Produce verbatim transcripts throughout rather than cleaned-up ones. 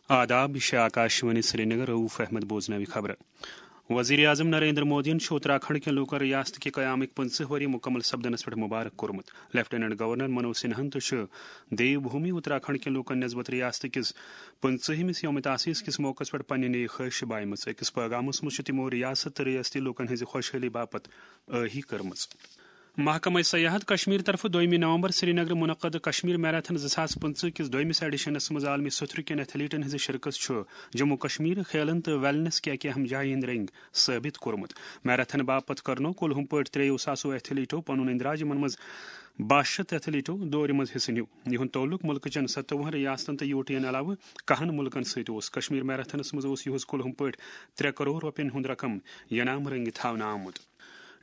آداب، یہِ چھِ آکاشوانی سرینگر، رؤف احمد بوزناوِ خبرٕ۔ وزیر اعظم نریندر مودیَن چھُ اتراکھنڈ کٮ۪ن لوٗکن ریاست کہِ قیامٕکۍ پٕنٛژٕہ ؤری مکمل سپدنس پٮ۪ٹھ مبارک کوٚرمُت۔ لیفٹیننٹ گورنر منوج سنہاہن تہِ چھُ دیو بھومی اتراکھنڈ کٮ۪ن لوٗکن نسبت ریاست کِس پٕنٛژٕہمِس یوم تاسیس کِس موقعس پٮ۪ٹھ پننہِ نیک خواہش بایمٕژ۔ أکِس پیغامس منٛز چھُ تِمو ریاست تہٕ ریاستی لوٗکن ہٕنٛزِ خۄشحٲلی باپتھ ٲہی کٔرمٕژ۔ محکمہ سیاحت کشمیر طرفہٕ دوٚیمہِ نومبر سرینگر منعقد کشمیر میراتھن زٕ ساس پٕنٛژٕہ کِس دوٚیمِس ایڈیشنس منٛز عالمی سطرٕ کٮ۪ن ایتھلیٹن ہٕنٛزِ شرکت چھُ جموں کشمیر کھیلن تہٕ ویلنس کہِ اکہِ اہم جایہِ ہٕنٛدۍ رنٛگۍ ثٲبت کوٚرمُت۔ میراتھن باپتھ کرنو کُلہُم پٲٹھۍ ترٛیٚیو ساسو ایتھلیٹو پنُن اندراج، یِمن منٛز باہ شیٚتھ ایتھلیٹو دورِ منٛز حصہٕ نیوٗ۔ یِہُنٛد تعلق مُلکہٕ چٮ۪ن ستووُہن ریاستن تہٕ یوٗٹین علاوٕ کہن مُلکن سۭتۍ اوس۔ کشمیر میراتھنس منٛز اوس یِہُس کُلہُم پٲٹھۍ ترٛےٚ کرور رۄپین ہُنٛد رقم ینام رنگہِ تھاونہٕ آمُت۔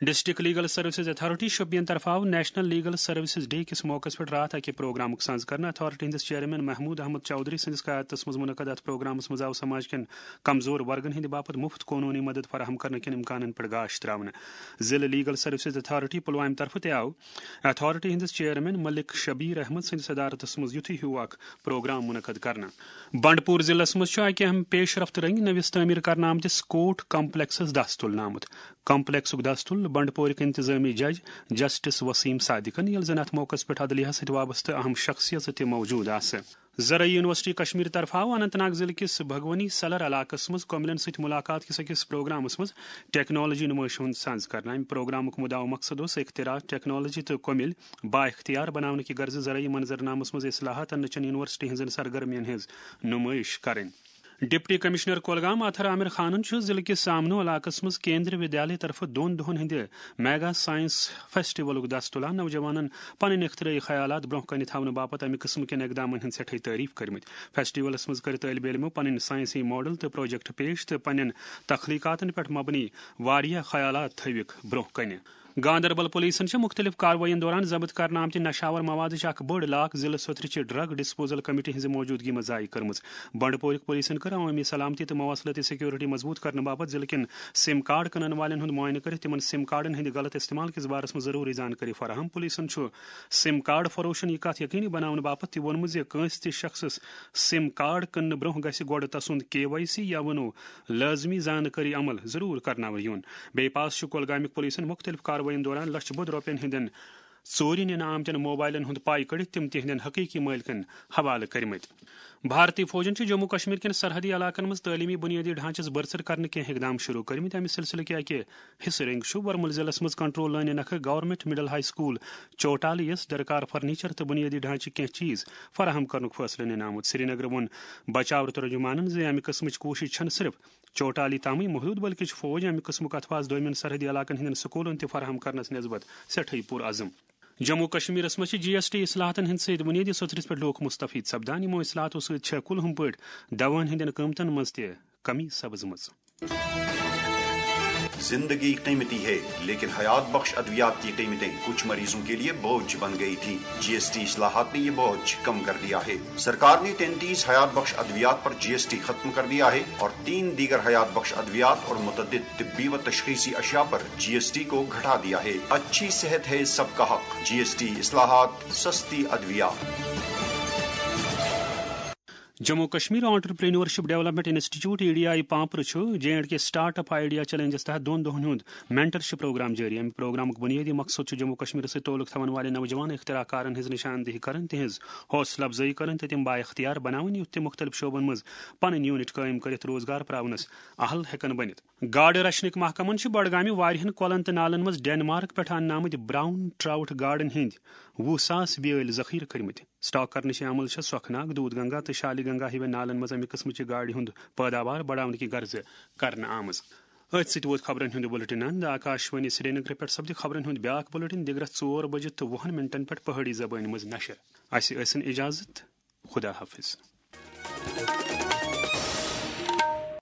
District legal services authority Shopian طرفہٕ آو نیشنل لیگل سروسز ڈے کِس موقعس پٮ۪ٹھ راتھ اکہِ پروگرامُک سنز کرنہٕ۔ اتھارٹی ہٕنٛدِس چیئرمین محمود احمد چودھری سٕنٛدِس قیادتس منٛز منعقد اتھ پروگرامس منٛز آو سماج کٮ۪ن کمزور ورگن ہٕنٛدِ باپتھ مفت قونوٗنی مدد فراہم کرنہٕ کٮ۪ن امکانن پٮ۪ٹھ گاش تراونہٕ۔ ضلع لیگل سروسز اتھارٹی پلوامہِ طرفہٕ تہِ آو اتھارٹی ہٕنٛدِس چیئرمین ملک شبیر احمد سٕنٛدِس صدارتس منٛز یُتھُے ہیوٗ اکھ پروگرام منعقد کرنہٕ۔ بنڈپور ضلعس منٛز چھُ اکہِ اہم پیش رفت رنگہِ نٔوِس تعمیٖر کرنہٕ آمتِس کوٹ کمپلیکسس دس تُلنہٕ آمُت۔ کمپلیکسُک دس تُل بنڈپورٕکۍ انتظامی جج جسٹس وسیم صادقن، ییٚلہِ زن اتھ موقعس پٮ۪ٹھ عدلیہ سۭتۍ وابستہٕ اہم شخصیژٕ تہِ موجود آسہٕ۔ زرعی یونیورسٹی کشمیر طرفہٕ آو اننت ناگ ضلعہٕ کِس بھگونی سلر علاقس منٛز کوملن سۭتۍ ملاقات کِس أکِس پروگرامس منٛز ٹیکنالوجی نمٲیشہِ ہُنٛد سنز کرنہٕ۔ امہِ پروگرامُک مُدعا مقصد اوس اختراع، ٹیکنالوجی تہٕ کومل بااختیار بناونہٕ کہِ غرضہٕ زرعی منظرنامس منٛز اصلاحات اننہٕ چٮ۪ن یونیورسٹی ہٕنٛزن سرگرمیَن ہٕنٛز نمٲیش کرٕنۍ۔ ڈپٹی کمشنر کولگام اطہر عامر خانن چھُ ضلعہٕ کِس سامنو علاقس منٛز کیندری ودیالیہ طرفہٕ دۄن دۄہن ہٕنٛدِ میگا ساینس فیسٹیولُک دس تُلان۔ نوجوانن پنٕنۍ اختراعی خیالات برونٛہہ کنہِ تھاونہٕ باپتھ امہِ قٕسمٕکٮ۪ن اقدامن ہٕنٛدۍ سٮ۪ٹھاے تعریف کٔرمٕتۍ۔ فیسٹیولس منٛز کٔرۍ طٲلبہِ علمو پنٕنۍ ساینسی ماڈل تہٕ پروجیکٹ پیش تہٕ پننٮ۪ن تخلیقاتن پٮ۪ٹھ مبنی واریاہ خیالات تھٲوِکھ برونٛہہ کنہِ۔ گاندربل پولیسن چھِ مختلف کاروٲیین دوران ضبط کرنہٕ آمتہِ نشاور موادٕچ اکھ بٔڑ لاکھ ضلعہٕ سوترٕچہِ ڈرگ ڈسپوزل کمیٹی ہٕنٛزِ موجودگی منٛز ضایع کٔرمٕژ۔ بنڈپورٕکۍ پولیسن کٔر عوٲمی سلامتی تہٕ مواصلٲتی سیکورٹی مضبوط کرنہٕ باپتھ ضلعہٕ کٮ۪ن سِم کارڈ کٕنن والٮ۪ن ہُنٛد معائنہٕ کٔرِتھ تِمن سِم کارڈن ہٕنٛدِ غلط استعمال کِس بارس منٛز ضروٗری زانکٲری فراہم۔ پولیسن چھُ سِم کارڈ فروشن یہِ کتھ یقینی بناونہٕ باپتھ تہِ ووٚنمُت زِ کٲنٛسہِ تہِ شخصس سِم کارڈ کٕننہٕ برونٛہہ گژھِ گۄڈٕ تسُنٛد کے وائی سی یا ونو لٲزمی زانکٲری عمل ضروٗر کرناونہٕ یُن۔ بیٚیہِ پاس چھُ کۄلگامیُک پولیسن مُختٔلِف کاروٲیین دوران لچھٕ بوٚد رۄپین ہٕنٛدٮ۪ن ژوٗرِ نِنہٕ آمتٮ۪ن موبائلن ہُنٛد پاے کٔڑِتھ تِم تِہنٛدٮ۪ن حقیقی مٲلکن حوالہٕ کٔرمٕتۍ۔ بھارتی فوجن چھِ جموں کشمیر کٮ۪ن سرحدی علاقن منٛز تعلیمی بنیٲدی ڈھانچس برسر کرنہٕ کینٛہہ اقدام شروع کٔرمٕتۍ۔ امہِ سلسلہٕ کہِ اکہِ حصہٕ رنٛگۍ چھُ ورمُل ضلعس منٛز کنٹرول لٲنہِ نکھٕ گورنمنٹ مڈل ہائی سکول چوٹالی یَس درکار فرنیچر تہٕ بنیٲدی ڈھانچہٕ کینٛہہ چیز فراہم کرنُک فٲصلہٕ نِنہٕ آمُت۔ سرینگرٕ ووٚن بچاو ترجمانن زِ امہِ قٕسمٕچ کوٗشش چھنہٕ صرف چوٹالی تامٕے محدود، بلکہِ چھُ فوج امہِ قٕسمُک اتھواز دویمٮ۪ن سرحدی علاقن ہٕنٛدٮ۪ن سکوٗلن تہِ فراہم کرنس نسبت سٮ۪ٹھٕے پُر عزم۔ جموں کشمیرس منٛز چھِ جی ایس ٹی اصلاحاتن ہٕنٛدۍ سۭتۍ بُنیٲدی سطرس پٮ۪ٹھ لوٗکھ مستفید سپدان۔ یِمو اصلاحاتو سۭتۍ چھےٚ کُلہُم پٲٹھۍ دواہن ہٕنٛدٮ۪ن قۭمتن منٛز تہِ کمی سپٕزمٕژ۔ زندگی قیمتی ہے، لیکن حیات بخش ادویات کی قیمتیں کچھ مریضوں کے لیے بوجھ بن گئی تھی۔ جی ایس ٹی اصلاحات نے یہ بوجھ کم کر دیا ہے۔ سرکار نے تینتیس حیات بخش ادویات پر جی ایس ٹی ختم کر دیا ہے اور تین دیگر حیات بخش ادویات اور متعدد طبی و تشخیصی اشیاء پر جی ایس ٹی کو گھٹا دیا ہے۔ اچھی صحت ہے سب کا حق۔ جی ایس ٹی اصلاحات، سستی ادویات۔ Jammu Kashmir entrepreneurship development institute, E D I پامپرٕ چھُ J and K start up idea challenges تحت دۄن دۄہن ہُنٛد مینٹرشپ پروگرام جٲری۔ امہِ پروگرامُک بُنیٲدی مقصد چھُ جموں کشمیرس سۭتۍ تعلق تھاون والٮ۪ن نوجوان اختراع کارن ہٕنٛز نشاندہی کرٕنۍ، تِہنٛز حوصلہٕ افزٲیی کرٕنۍ تہٕ تِم بااختیار بناوٕنۍ، یُتھ تِم مُختٔلِف شعبن منٛز پنٕنۍ یونٹ قٲیِم کٔرِتھ روزگار پراونس اہل ہٮ۪کن بٔنِتھ۔ گاڈٕ رچھنٕکۍ محکمن چھِ بڈگامہِ واریاہن کۄلن تہٕ نالن منٛز ڈینمارک پٮ۪ٹھ اننہٕ آمٕتۍ براؤن ٹراؤٹ گاڈن ہٕنٛدۍ وُہ ساس بیٲلۍ ذخیرٕ کٔرمٕتۍ۔ سٹاک کرنٕچ یہِ عمل چھےٚ سۄکھناگ، دودھ گنگا تہٕ شالی گنگا ہِوٮ۪ن نالن منٛز امہِ قٕسمٕچہِ گاڈِ ہُنٛد پٲداوار بڑاونہٕ کہِ غرضہٕ کرنہٕ آمٕژ۔ أتھۍ سۭتۍ ووت خبرن ہُنٛد بُلٹن اند۔ آکاشوانی سرینگرٕ پٮ۪ٹھ سپدِ خبرن ہُنٛد بیٛاکھ بُلٹن دِگرس ژور بجہِ تہٕ وُہن منٹن پٮ۪ٹھ پہٲڑی زبٲنۍ منٛز نشر۔ اسہِ ٲسِن اجازت۔ خدا حافظ۔